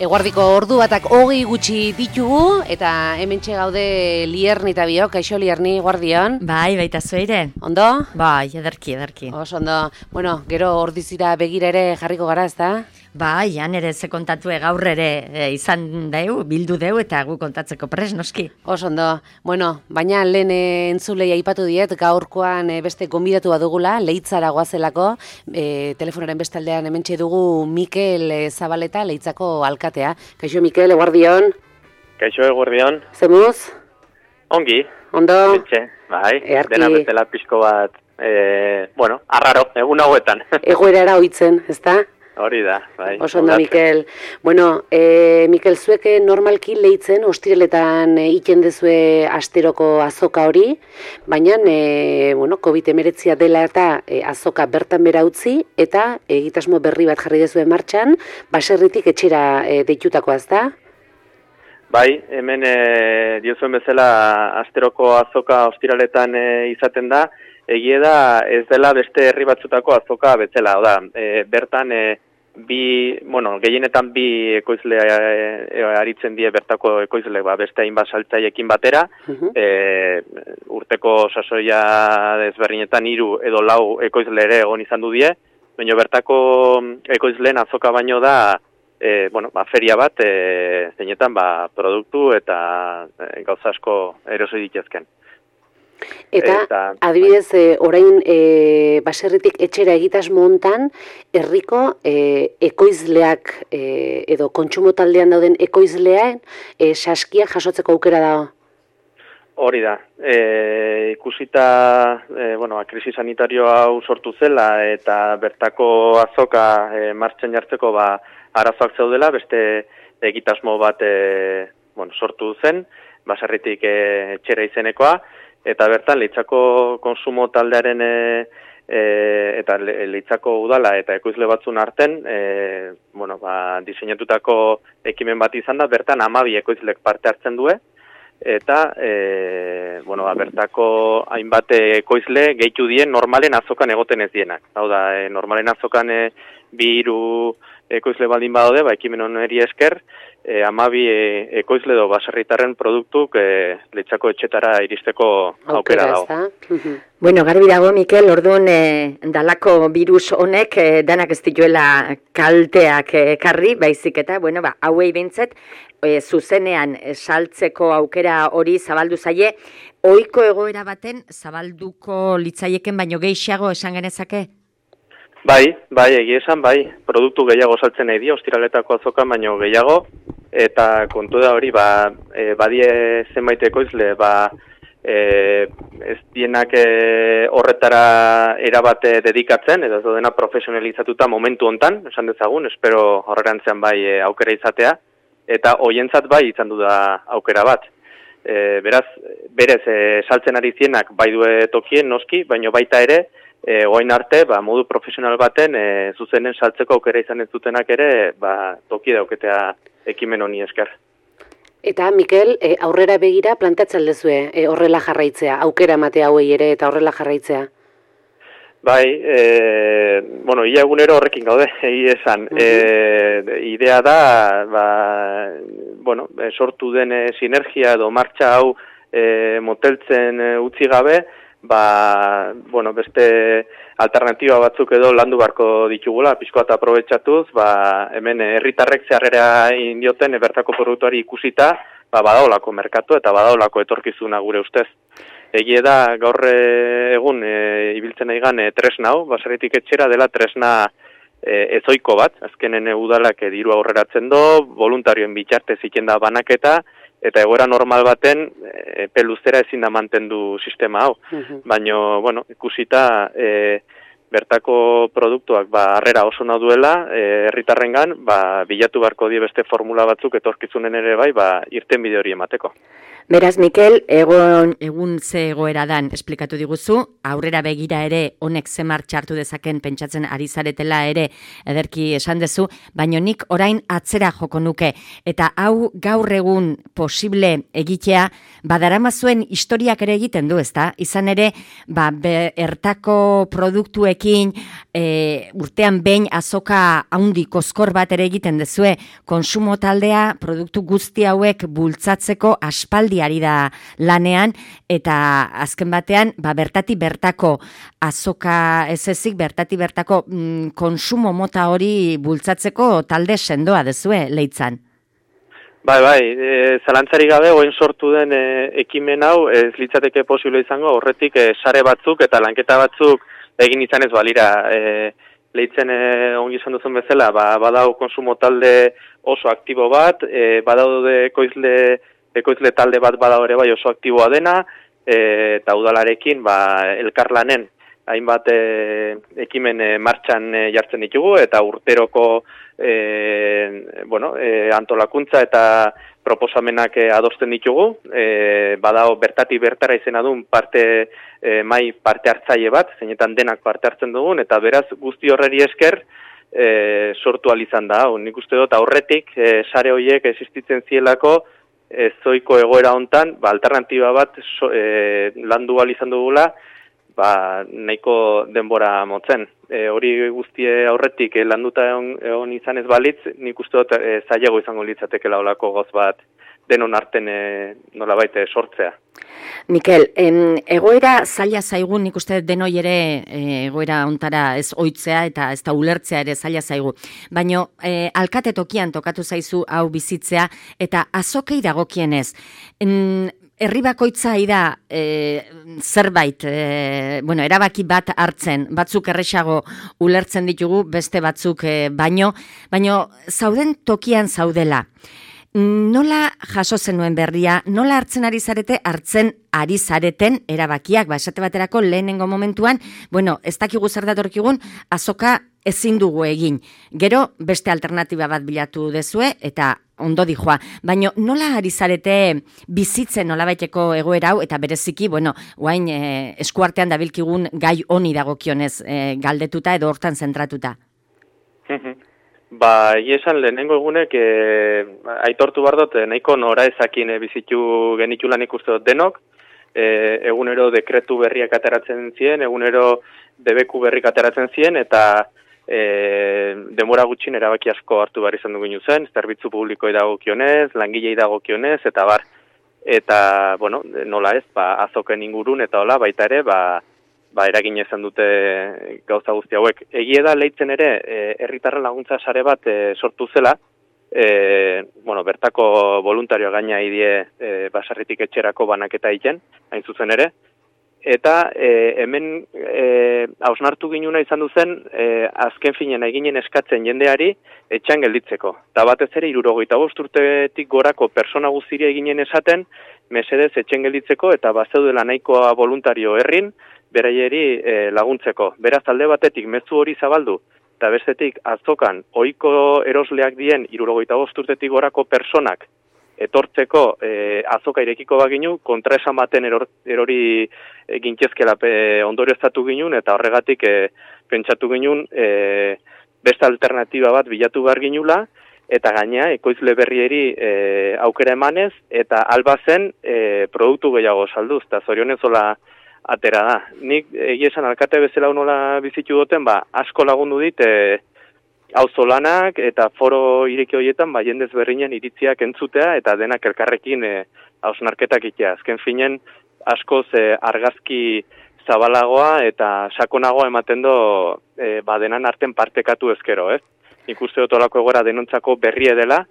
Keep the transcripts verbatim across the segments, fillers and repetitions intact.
Eguardiko ordu batak hogei gutxi ditugu, eta hementxe gaude Lierni eta biok, kaixo Lierni, guardion. Bai, baita zueire. Ondo? Bai, ederki, ederki. Oso ondo. Bueno, gero ordizira begira ere jarriko gara, ezta? Bai, han ere ze kontatu gaur ere e, izan deu, bildu deu eta gu kontatzeko pres, noski. Oso ondo. Bueno, baina lehen e, entzulei aipatu diet, gaurkoan e, beste gonbidatu badugula, Leitzara goazelako, e, telefonaren bestaldean hementxe dugu Mikel e, Zabaleta, Leitzako alkatea. Kaixo Mikel, eguardion. Kaixo eguardion. Zemuz? Ongi. Ondo? Betxe, bai, Earki. dena bezala pixko bat, e, bueno, arraro, egun hauetan. Egoerara oitzen, ezta? Hori da, bai. Oso ondo, Mikel. Bueno, e, Mikel, zueke normalki Leitzen, ostireletan e, iten dezue asteroko azoka hori, baina e, bueno, covid hemeretzia dela eta e, azoka bertan bera utzi, eta egitasmo berri bat jarri dezue martxan, baserritik etxera e, deitutakoa, ezta? Bai, hemen e, diozuen bezala asteroko azoka ostiraletan e, izaten da, egie da ez dela beste herri batzutako azoka betzela, oda, e, bertan e, bi, bueno, gehienetan bi ekoizle e, e, aritzen die bertako ekoizle, ba, beste hainbat saltzaiekin batera, uh-huh. e, urteko sasoia desberdinetan hiru edo lau ekoizle ere egon izan du die, baina bertako ekoizleen azoka baino da, e, bueno, ba, feria bat, e, zeinetan ba, produktu eta e, gauza asko eroso dituzken. Eta, eta adibidez, e, orain e, baserritik etxera egitasmo hontan, herriko e, ekoizleak e, edo kontsumo taldean dauden ekoizlean e, saskiak jasotzeko aukera dago? Hori da. E, ikusita, e, bueno, krisi sanitario hau sortu zela eta bertako azoka e, martxan jartzeko ba, arazoak zeudela, beste egitasmo bat e, bueno, sortu zen, baserritik e, etxera izenekoa, eta bertan Leitzako konsumo taldearen e, e, eta Leitzako udala eta ekoizle batzun arten e, bueno, ba, diseinatutako ekimen bat izan da, bertan hamabi ekoizlek parte hartzen due, eta e, bueno, ba, bertako hainbat ekoizle gehitu dien normalen azokan egoten ez dienak. Hau da, e, normalen azokan e, bi hiru ekoizle baldin badaude, ba, ekimen honeri esker, E, amabi e, ekoizle do baserritarren produktuk e, Leitzako etxetara iristeko aukera dago. Bueno, garbi dago, Mikel, orduan e, dalako virus honek e, danak ez dituela kalteak ekarri, baizik eta, bueno, ba, hauei bintzet, e, zuzenean e, saltzeko aukera hori zabaldu zaie, ohiko egoera baten zabalduko litzaieken baino gehiago esan genezake? Bai, bai, egia esan, bai, produktu gehiago saltzen nahi dio, ostiraletako azokan baino gehiago, eta kontu da hori, ba, e, badie zenbait ekoizle, ba, e, ez dienak e, horretara erabate dedikatzen, edo ez dena profesionalizatuta momentu hontan, esan dezagun, espero horrerantzean bai e, aukera izatea, eta hoientzat bai izan du da aukera bat. E, beraz, berez, e, saltzen ari zienak bai due tokien noski, baino baita ere, E, oain arte, ba, modu profesional baten, e, zuzenen saltzeko aukera izan ez dutenak ere, ba, toki dauketea ekimen honi esker. Eta, Mikel, e, aurrera begira planteatzen dezue e, horrela jarraitzea, aukera ematea hauei ere eta horrela jarraitzea? Bai, e, bueno, ia egunero horrekin gaude, egi esan. Uh-huh. e, idea da, ba, bueno, sortu den e, sinergia edo martxa hau e, moteltzen e, utzi gabe, ba, bueno, beste alternatiba batzuk edo landu barko ditugula, pixko eta aprobetxatuz, ba, hemen herritarrek zeharrera indioten bertako produktuari ikusita, ba, badaolako merkatu eta badaolako etorkizuna gure ustez. Egie da, gaur egun e, ibiltzen aigan e, tresna hau, baserritik etxera dela tresna e, ezoiko bat, azkenen udalak e, diru aurreratzen do, voluntarioen bitxartez iken da banaketa, eta egoera normal baten epe luzera ezin da mantendu sistema hau. Uh-huh. Baina, bueno, ikusita e, bertako produktuak ba, harrera oso nahi duela, herritarrengan, ba, bilatu beharko die beste formula batzuk etorkizunen ere bai, ba, irten bide hori emateko. Beraz, Mikel, egon, egun ze egoera dan esplikatu diguzu, aurrera begira ere honek ze martxartu dezaken pentsatzen ari zaretela ere ederki esan dezu, baino nik orain atzera joko nuke, eta hau gaur egun posible egitea, badarama zuen historiak ere egiten du, ezta? Izan ere, ba, bertako produktuekin e, urtean behin azoka haundi koskor bat ere egiten dezue, konsumo taldea produktu guzti hauek bultzatzeko aspaldi ari da lanean, eta azken batean, ba, bertati bertako azoka ez ezik, bertati bertako mm, konsumo mota hori bultzatzeko talde sendoa dezue, Leitzan. Bai, bai, e, zalantzarik gabe, oin sortu den e, ekimen hau, ez litzateke posible izango, horretik e, sare batzuk eta lanketa batzuk egin izan ez balira. E, Leitzen e, ongi izan duzun bezala, ba, badau konsumo talde oso aktibo bat, e, badaude ekoizle ekoizle talde bat bada ere bai oso aktiboa dena, e, eta udalarekin ba, elkarlanen hainbat e, ekimen e, martxan e, jartzen ditugu, eta urteroko e, bueno, e, antolakuntza eta proposamenak e, adosten ditugu, e, badao bertati bertara izena duen parte e, mai parte hartzaile bat, zeinetan denak parte hartzen dugun, eta beraz guzti horreri esker e, sortu alizan da. Nik uste dut aurretik e, sare horiek existitzen zielako, ezoiko egoera hontan, ba, alternatiba bat so, e, landu ahal izan dugula, ba, nahiko denbora motzen. E, hori guztie aurretik e, landuta egon, egon izan ez balitz, nik uste dut e, zailago izango litzateke laolako goz bat denon arten e, nolabait e, sortzea. Mikel, em, egoera zaila zaigu, nik uste denoi ere e, egoera ontara ez oitzea eta ez da ulertzea ere zaila zaigu. Baina e, alkate tokian tokatu zaizu hau bizitzea eta azokei dagokienez. En, herri bakoitza da e, zerbait, e, bueno, erabaki bat hartzen, batzuk erresago ulertzen ditugu, beste batzuk e, baino, baino zauden tokian zaudela. Nola jaso zenuen berria, nola hartzen ari zarete, hartzen ari zareten erabakiak, ba, esate baterako lehenengo momentuan, bueno, ez dakigu zer datorkigun, azoka ezin dugu egin. Gero, beste alternatiba bat bilatu dezue, eta ondo dijoa. Baina nola ari zarete bizitzen nolabaiteko egoera hau, eta bereziki, bueno, guain e, eskuartean dabilkigun gai honi dagokionez e, galdetuta edo hortan zentratuta. Ba, esan lehenengo egunek e, aitortu behar dut, nahiko nora ezakin e, bizitu genitulan ikuste dut denok, e, egunero dekretu berriak ateratzen ziren, egunero debeku berrik ateratzen ziren, eta e, denbora gutxin erabaki asko hartu behar izan dugu zen, zerbitzu publikoi dagokionez, langilei dagokionez, eta bar, eta, bueno, nola ez, ba, azoken ingurun, eta hola, baita ere, ba, ba, eragin izan dute gauza guzti hauek. Egie da Leitzen ere, herritarren laguntza sare bat e, sortu zela, e, bueno, bertako voluntario gaina idie e, basarritik etxerako banaketa egiten, hain zuzen ere, eta e, hemen e, hausnartu ginuna izan duzen, e, azken finen eginen eskatzen jendeari etxan gelditzeko. Eta batez ere, hirurogeita bost urtetik gorako persona guztiria eginen esaten, mesedez etxen gelditzeko, eta bazeudela nahikoa voluntario herrin, beraieri e, laguntzeko. Beraz, alde batetik mezu hori zabaldu, eta bestetik azokan ohiko erosleak dien hirurogeita bost urtetik gorako personak etortzeko e, azoka irekiko baginu, kontraesan baten eror, erori e, gintzezkela ondorioztatu ginun, eta horregatik e, pentsatu ginun e, beste alternatiba bat bilatu behar ginula, eta gaina ekoizle berrieri e, aukera emanez, eta albazen e, produktu gehiago salduz, eta zorionezola atera da. Nik egia esan alkate bezala nola bizitu duten, ba, asko lagundu dit, e, auzolanak eta foro ireki horietan, ba, jendez berrinen iritziak entzutea, eta denak elkarrekin e, hausnarketak itea. Azken finen, askoz e, argazki zabalagoa eta sakonagoa ematen do, e, ba, denan arten partekatu ezkero, ez? Nik uste dut olako egora denontzako berrie dela,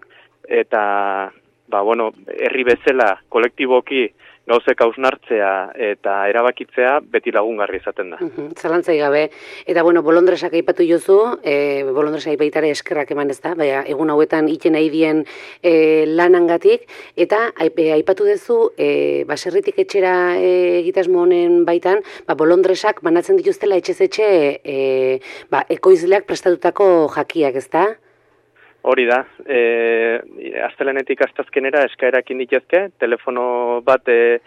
eta, ba, bueno, herri bezala, kolektiboki, gauzek hausnartzea eta erabakitzea beti lagungarri izaten da. Zalantzai gabe. Eta, bueno, bolondresak aipatu jozu, e, bolondresak baitare eskerrak eman ez da, baina egun hauetan iten nahi dien e, lanangatik, eta aipatu duzu, e, baserritik etxera e, egitasmo honen baitan, ba, bolondresak banatzen dituztela etxez etxe e, ba, ekoizleak prestatutako jakiak, ez da? Hori da, e, astelenetik astazkenera eskaerak inditezke, telefono bat e,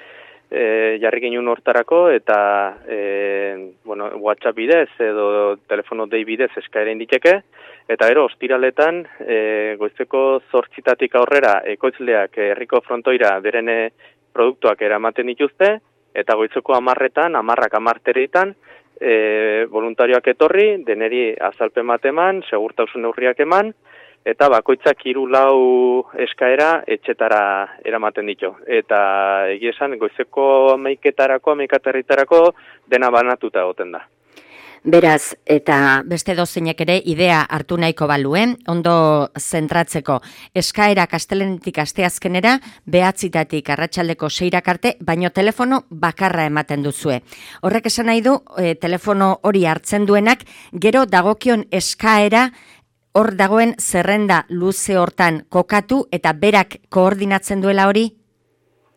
e, jarri ginen hortarako eta e, bueno, WhatsApp bidez edo telefono dei bidez eskaera inditeke, eta gero ostiraletan e, goizeko zortzitatik aurrera ekoizleak herriko frontoira beren produktuak eramaten dituzte, eta goizeko hamarretan, hamarrak hamartereitan, e, voluntarioak etorri, deneri azalpen bat eman, segurtasun neurriak eman, eta bakoitzak hiru lau eskaera etxetara eramaten ditu. Eta egia esan, goizeko hamaiketarako, hamaikaterritarako dena banatuta egoten da. Beraz, eta beste dozeinek ere idea hartu nahiko baluen, ondo zentratzeko. Eskaerak astelenetik asteazkenera, behatzitatik arratsaldeko seirak arte, baino telefono bakarra ematen duzue. Horrek esan nahi du, e, telefono hori hartzen duenak, gero dagokion eskaera, hor dagoen zerrenda luze hortan kokatu eta berak koordinatzen duela hori?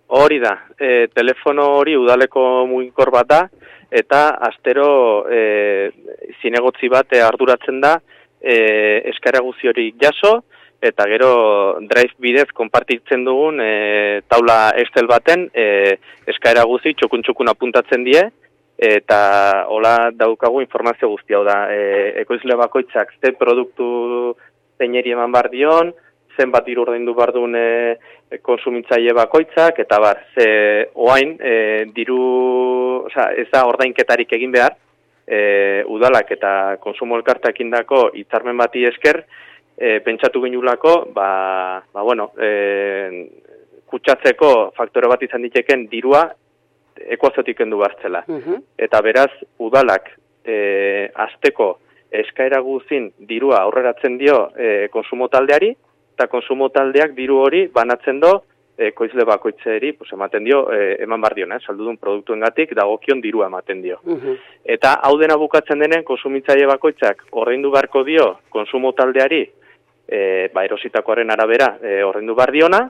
Hori da, e, telefono hori udaleko mugikor bat da, eta astero e, zinegotzi bat arduratzen da e, eskaera guzti hori jaso, eta gero drive bidez konpartitzen dugun e, taula Excel baten e, eskaera guzti txokun-txokun apuntatzen die, eta hola daukagu informazio guzti hau da. E, ekoizle bakoitzak ze produktu zeineri eman bar dion, zenbat diru ordaindu bar duen e, konsumitzaile bakoitzak, eta bar, ze oain e, diru, osea, ez da ordainketarik egin behar, e, udalak eta konsumo elkarteak indako hitzarmen bati esker, e, pentsatu ginulako, ba, ba bueno, e, kutsatzeko faktore bat izan diteken dirua ekuaziotik kendu baztela. Uh-huh. Eta beraz, udalak e, asteko eskaera guzin dirua aurreratzen dio e, konsumo taldeari, eta konsumo taldeak diru hori banatzen do ekoizle bakoitzeri, pues, ematen dio, e, eman bar dion, eh, saldudun produktuengatik dagokion dirua ematen dio. Uh-huh. Eta hau dena bukatzen denen konsumitzaile bakoitzak ordaindu beharko dio konsumo taldeari, e, ba, erositakoaren arabera e, ordaindu bar diona,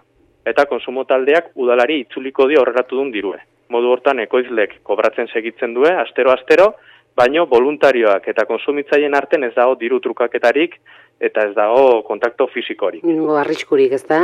eta konsumo taldeak udalari itzuliko dio horreratu duen dirue. Modu hortan ekoizlek kobratzen segitzen due, astero-astero, baino voluntarioak eta konsumitzaileen arten ez dago diru trukaketarik eta ez dago kontakto fisikorik. Ningo arriskurik, ez da?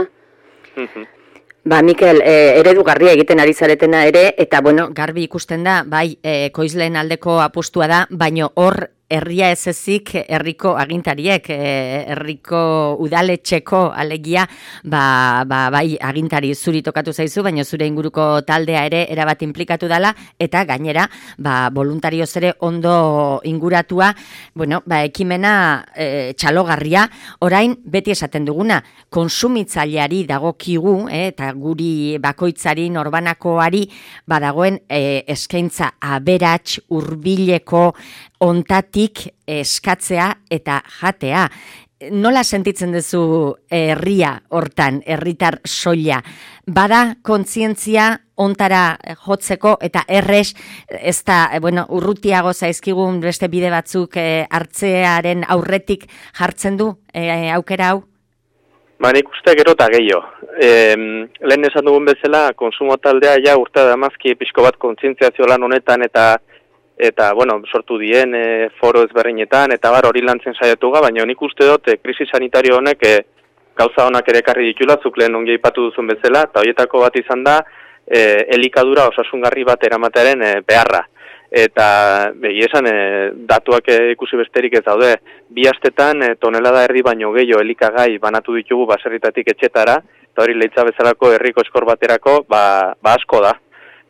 Ba, Mikel, e, eredugarria egiten ari zaretena ere, eta bueno, garbi ikusten da, bai, e, ekoizleen aldeko apustua da, baino hor herria ez ezik herriko agintariek, herriko udaletxeko alegia, ba, ba, bai agintari zuri tokatu zaizu, baina zure inguruko taldea ere erabat inplikatu dela, eta gainera, ba, voluntarioz ere ondo inguratua, bueno, ba, ekimena e, txalogarria, orain beti esaten duguna, konsumitzaileari dagokigu, eh, eta guri bakoitzari norbanakoari badagoen e, eskaintza aberats hurbileko ontatik eskatzea eta jatea. Nola sentitzen duzu herria hortan, herritar soila? Bada kontzientzia ontara jotzeko eta errez, ez da, bueno, urrutiago zaizkigun beste bide batzuk e, hartzearen aurretik jartzen du e, aukera hau? Ba, nik uste gero eta gehiago. E, lehen esan dugun bezala, konsumo taldea ja urte da mazki pixko bat kontzientziazio lan honetan eta eta, bueno, sortu dien e, foro ezberdinetan, eta bar hori lantzen saiatu ga, baina nik uste dut, e, krisi sanitario honek e, gauza honak ere ekarri ditula, zuk lehen ongi aipatu duzun bezala, eta horietako bat izan da, e, elikadura osasungarri bat eramatearen e, beharra. Eta, begi esan, e, datuak e, ikusi besterik ez daude, bi astetan e, tonelada erdi baino gehiago elikagai banatu ditugu baserritatik etxetara, eta hori leitza bezalako herriko eskor baterako, ba, ba asko da.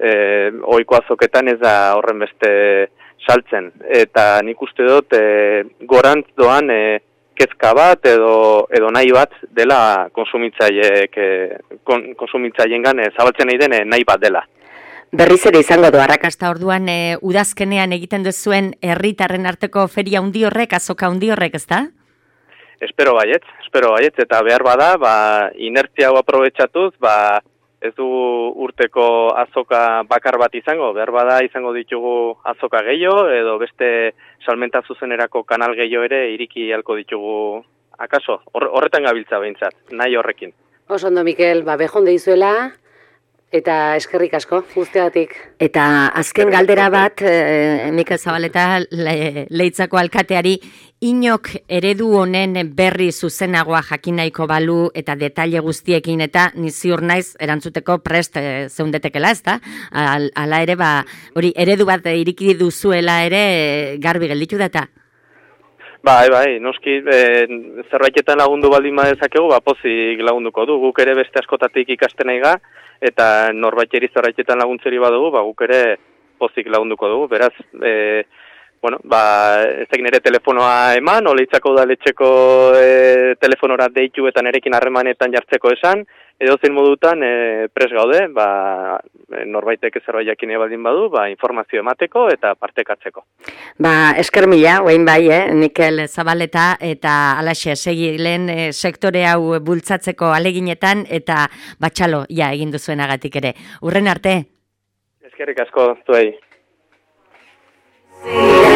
E, ohiko azoketan ez da horren beste saltzen. Eta nik uste dut e, gorantz doan e, kezka bat edo, edo nahi bat dela konsumitzaileek e, kon, konsumitzaileengan e, zabaltzen nahi den e, nahi bat dela. Berriz ere izango du, arrakasta orduan e, udazkenean egiten duzuen herritarren arteko feria handi horrek, azoka handi horrek, ez da? Espero baietz, espero baietz, eta behar bada, ba, inertzia hau aprobetxatuz, ba, ez du urteko azoka bakar bat izango, behar bada izango ditugu azoka gehiago, edo beste salmenta zuzenerako kanal gehiago ere iriki halko ditugu akaso, horretan gabiltza behintzat, nahi horrekin. Oso ondo, Mikel, ba, behon deizuela, Eta eskerrik asko, guztiagatik. Eta azken galdera bat, e, Mikel Zabaleta le, Leitzako alkateari, inok eredu honen berri zuzenagoa jakin nahiko balu eta detaile guztiekin eta ni ziur naiz erantzuteko prest e, zeundetekela, ezta? Al, ala ere, ba, hori eredu bat iriki duzuela ere e, garbi gelditu da eta? Bai, bai, noski, e, zerbaitetan lagundu baldin badezakegu, ba, pozik lagunduko du, guk ere beste askotatik ikasten nahi ga, eta norbaiteri zerbaitetan laguntzeri badugu, ba, guk ere pozik lagunduko dugu, beraz, e, bueno, ba, ez egin ere telefonoa eman, Oleitzako udaletxeko e, telefonora deitu eta nerekin harremanetan jartzeko esan, edo zein modutan e, pres gaude, ba, norbaitek zerbait jakin baldin badu, ba, informazio emateko eta partekatzeko. Ba, esker mila, oain bai, eh? Mikel Zabaleta eta alaxe segilen e, sektore hau bultzatzeko aleginetan eta batxalo, ja, egin duzuenagatik ere. Urren arte? Eskerrik asko, zuei. Yeah.